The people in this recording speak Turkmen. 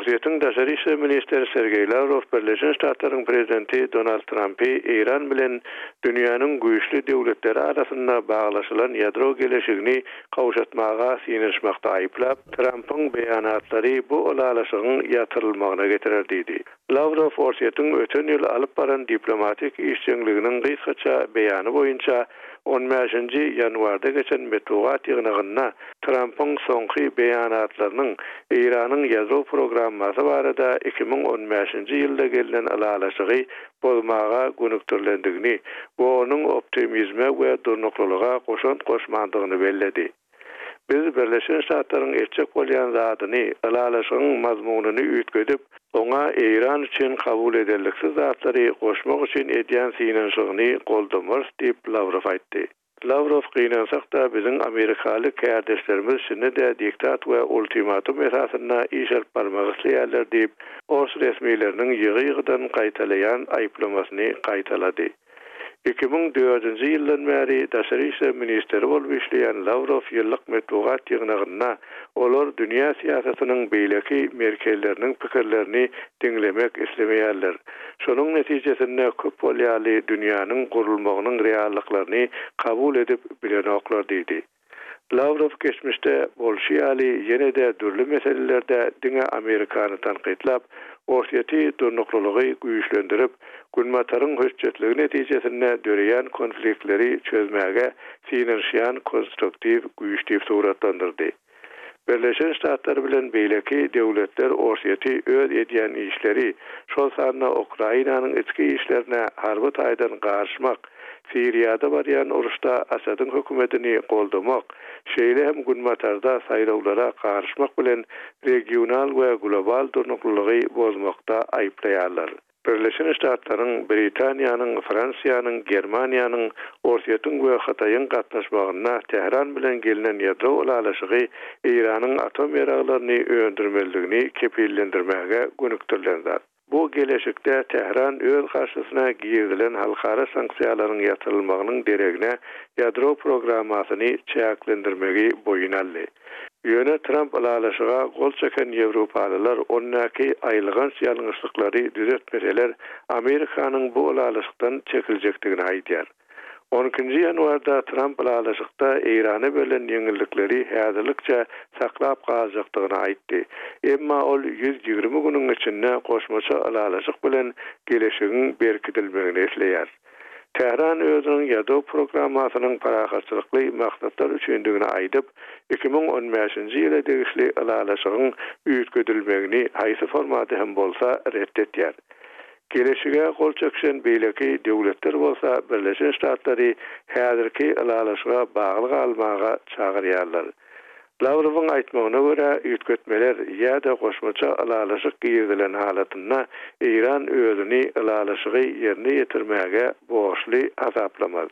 Orsýetiň daşary işler ministri Sergeý Lawrow Birleşen Ştatlaryň prezidenti Donald Trampy Eýran bilen dünýäniň güýçli döwletleri arasynda baglaşylan ýadro geleşigini gowşatmaga synanyşmakda aýyplap, Trampyň beýanatlary bu ylalaşygyň ýatyrylmagyna getirer diýdi. Lawrow Orsýetiň öten ýyl alyp baran diplomatik işjeňliginiň gysgaça beýany boýunça on bäşinji ýanwarda geçen metbugat ýygnagynda Trampyň soňky beýanatlarynyň Eýranyň ýadro programmasy barada 2015-nji ýylda gelnen ylalaşygy bozmaga gönükdirilendigini we onuň optimizme we durnuklylyga goşant goşmandygyny belledi. Biz Birleşen Ştatlaryň etjek bolýan zadyny, ylalaşygyň mazmunyny üýtgedip, oňa Eýran üçin kabul ederliksiz zatlary goşmak üçin edýän synanyşygyny goldamarys diýip, Lawrow aýtdy. Lawrow, Gynansak-da, biziň amerikaly kärdeşlerimiz şindi-de diktat we ultimatum esasynda iş alyp barmak isleýärler diýip, ors resmileriniň ýygy-ýygydan gaýtalaýan aýyplamasyny gaýtalady. 2004-nji ýyldan bäri daşary işler ministri bolup işleýän Lawrow ýyllyk metbugat ýygnagynda olar dünýä syýasatynyň beýleki merkezleriniň pikirlerini diňlemek islemeýärler. Şonuň netijesinde köp bolýaly dünýäniň gurulmagynyň reallyklaryny kabul edip bilenoklar diýdi. Lawrow geçmişde bolşy ýaly ýene-de dürli meselelerde diňe Amerikany tankytlap, Orsýeti durnuklylygy güýçlendirip, Günbataryň hötjetligi netijesinde döreýän konfliktleri çözmäge synanyşýan konstruktiw güýç diýip suratlandyrdy. Birleşen Ştatlar bilen beýleki döwletler Orsýeti öz edýän işleri, şol sanda Ukrainanyň içki işlerine harby taýdan garyşmak, Siriýada barýan uruşda Asadyň hökümetini goldamak, şeýle hem Günbatarda saýlawlara garyşmak bilen regional we global durnuklylygy bozmakda aýyplaýarlar. Birleşen Ştatlaryň, Britaniýanyň, Fransiýanyň, Germaniýanyň, Orsýetiň we Hytaýyň gatnaşmagynda Tähran bilen gelnen ýadro ylalaşygy Eýranyň atom ýaraglaryny öndürmezligini kepillendirmäge gönükdirilen zat. Bu geleşikde Tähran öz garşysyna girizilen halkara sanksiýalaryň ýatyrylmagynyň deregine ýadro programmasyny çäklendirmegi boýun aldy. Ýöne Tramp ylalaşyga gol çeken ýewropalylar ondaky aýylganç ýalňyşlyklary düzetmeseler, Amerikanyň bu ylalaşykdan çekiljekdigini aýdýar. On ikinji ýanwarda Tramp ylalaşykda Eýrana berlen ýeňillikleri häzirlikçe saklap galjakdygyny aýtdy. Emma ol 120 günüň içinde goşmaça ylalaşyk bilen geleşigiň berkidilmegini isleýär. Tähran özüniň ýadro programmasynyň parahatçylykly maksatlar üçindigini aýdyp, 2015-nji ýyla degişli ylalaşygyň üýtgedilmegini haýsy formada hem bolsa ret etýär. Geleşige gol çekişen beýleki döwletler bolsa Birleşen Ştatlary häzirki ylalaşyga bagly galmaga çagyrýarlar. Lawrowyň aýtmagyna görä, üýtgetmeler ýa-da goşmaça ylalaşyk girizilen halatynda Eýran özüni ylalaşygy ýerine ýetirmäge borçly hasaplamaz.